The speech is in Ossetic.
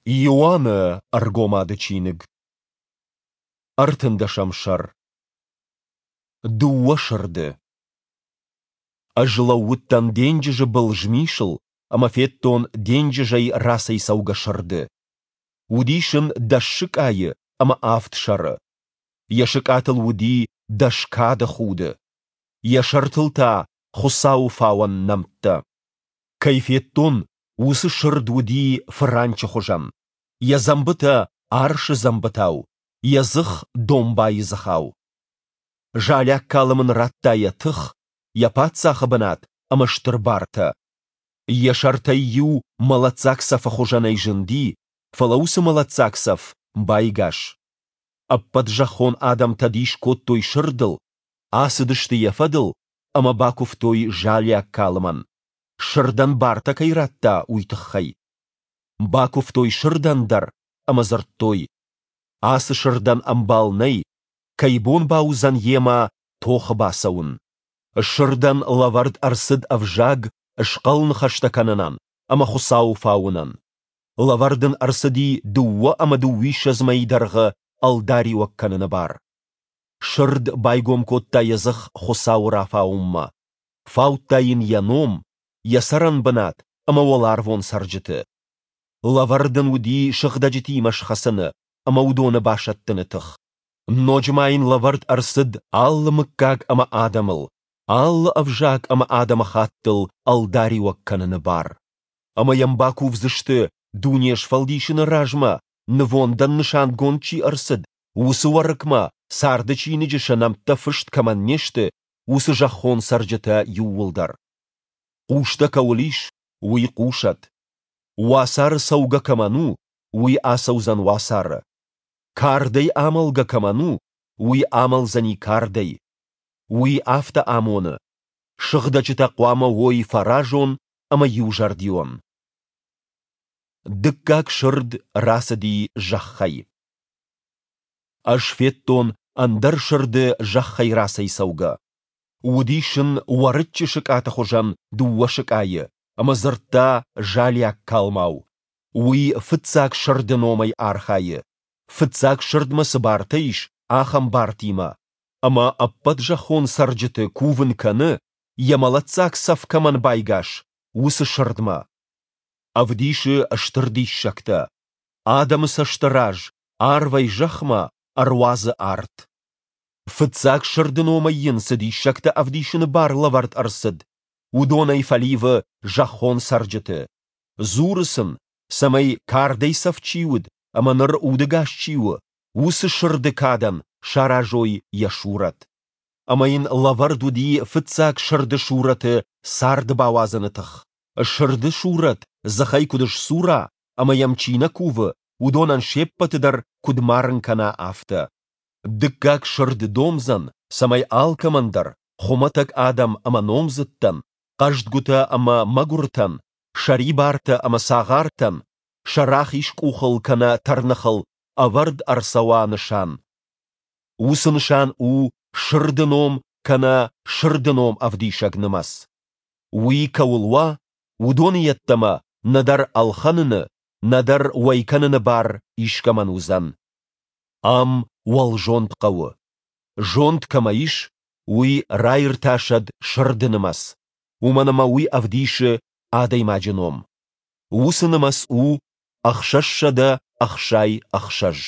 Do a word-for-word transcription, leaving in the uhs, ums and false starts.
Иоанны Ӕргомады чиныг. Ӕртындӕсӕм сӕр. Дыууӕ сырды. Ӕз лӕууыдтӕн денджызы был змисыл ӕмӕ федтон денджызӕй рацӕйцӕугӕ сырды. Уыдис ын дӕс сыкъайы ӕмӕ авд сӕры. Йӕ сыкъатыл уыди дӕс кады худы, йӕ сӕртыл та Хуыцауы фауӕн нӕмттӕ. Кӕй федтон, уыцы сырд уыди фыранчы хуызӕн, йӕ дзӕмбытӕ арсы дзӕмбытау, йӕ дзых домбайы дзыхау. Залиаг калм ын радта йӕ тых, йӕ паддзахы бынат ӕмӕ стыр бартӕ. Йӕ сӕртӕй иу мӕлӕтдзаг цӕфы хуызӕнӕй зынди, фӕлӕ уыцы мӕлӕтдзаг цӕф байгас. Ӕппӕт зӕххон адӕмтӕ дис кодтой сырдыл, ацыдысты йӕ фӕдыл ӕмӕ бакуывтой залиаг калмӕн, сырдӕн бартӕ кӕй радта, уый тыххӕй. Бакуывтой сырдӕн дӕр ӕмӕ дзырдтой: Ацы сырдӕн ӕмбал нӕй, кӕй бон бауыдзӕн йемӕ тохы бацӕуын? Сырдӕн лӕвӕрд ӕрцыд ӕвзаг схъӕл ныхӕстӕ кӕнынӕн ӕмӕ Хуыцауы фауынӕн. Лӕвӕрд ын ӕрцыди дыууӕ ӕмӕ дыууиссӕдз мӕйы дӕргъы ӕлдариуӕг кӕныны бар. Сырд байгом кодта йӕ дзых Хуыцауы рафауынмӕ, фаудта йын йӕ ном, йӕ цӕрӕнбынат ӕмӕ уӕларвон цӕрджыты. Лӕвӕрд ын уыди сыгъдӕджытимӕ схӕцыны ӕмӕ уыдоны басӕттыны тых. Ноджы ма йын лӕвӕрд ӕрцыд алы мыггаг ӕмӕ адӕмыл, алы ӕвзаг ӕмӕ адӕмыхаттыл ӕлдариуӕг кӕныны бар. Ӕмӕ йӕм бакувдзысты, дуне сфӕлдисыны размӕ нывондӕн нысангонд чи ӕрцыд, уыцы Уӕрыкмӕ царды чиныджы сӕ нӕмттӕ фыст кӕмӕн не сты, уыцы зӕххон цӕрджытӕ иууылдӕр. Хъустӕ кӕуыл ис, уый хъусӕд. Уацары цӕугӕ кӕмӕн у, уый ацӕудзӕн уацары. Кардӕй амӕлгӕ кӕмӕн у, уый амӕлдзӕни кардӕй. Уый афтӕ амоны: сыгъдӕджытӕ хъуамӕ уой фӕразон ӕмӕ иузӕрдион. Дыккаг сырд рацыди зӕххӕй. Ӕз федтон ӕндӕр сырды зӕххӕй рацӕйцӕугӕ. Уыдис ын уӕрыччы сыкъаты хуызӕн дыууӕ сыкъайы ӕмӕ дзырдта залиаг калмау. Уый фыццаг сырды номӕй архайы, фыццаг сырдмӕ цы бартӕ ис, ахӕм бартимӕ, ӕмӕ ӕппӕт зӕххон цӕрджыты кувын кӕны, йӕ мӕлӕтдзаг цӕф кӕмӕн байгас, уыцы сырдмӕ. Ӕвдисы стыр диссӕгтӕ. Адӕмы цӕсты раз арвӕй зӕхмӕ ӕруадзы арт. Фыццаг сырды номӕй йын цы диссӕгтӕ ӕвдисыны бар лӕвӕрд ӕрцыд, уыдонӕй фӕливы зӕххон цӕрджыты. Дзуры сын, цӕмӕй кардӕй цӕф чи уыд ӕмӕ ныр удӕгас чи у, уыцы сырды кадӕн саразой йӕ сурӕт. Ӕмӕ йын лӕвӕрд уыди фыццаг сырды сурӕты царды бауадзыны тых. Сырды сурӕт дзыхӕй куыд сдзура ӕмӕ йӕм чи нӕ кувы, уыдонӕн се ппӕты дӕр куыд марын кӕна, афтӕ. Дыккаг сырд домдзӕн, цӕмӕй алкӕмӕн дӕр, хуымӕтӕг адӕм ӕмӕ номдзыдтӕн, хъӕздгуытӕ ӕмӕ мӕгуыртӕн, сӕрибартӕ ӕмӕ цагъартӕн, сӕ рахиз къухыл кӕнӕ тӕрныхыл ӕвӕрд ӕрцӕуа нысан. Уыцы нысан у сырды ном кӕнӕ сырды ном ӕвдисӕг нымӕц. Уый кӕуыл уа, уыдоны йеддӕмӕ нӕдӕр ӕлхӕныны, нӕдӕр уӕй кӕныны бар искӕмӕн уыдзӕн. Ам уӕлзонд хъӕуы. Зонд кӕмӕ ис, уый раиртасӕд сырды нымӕц, уымӕн ӕмӕ уый ӕвдисы адӕймаджы ном. Уыцы нымӕц у ӕхсӕзсӕдӕ ӕхсай ӕхсӕз.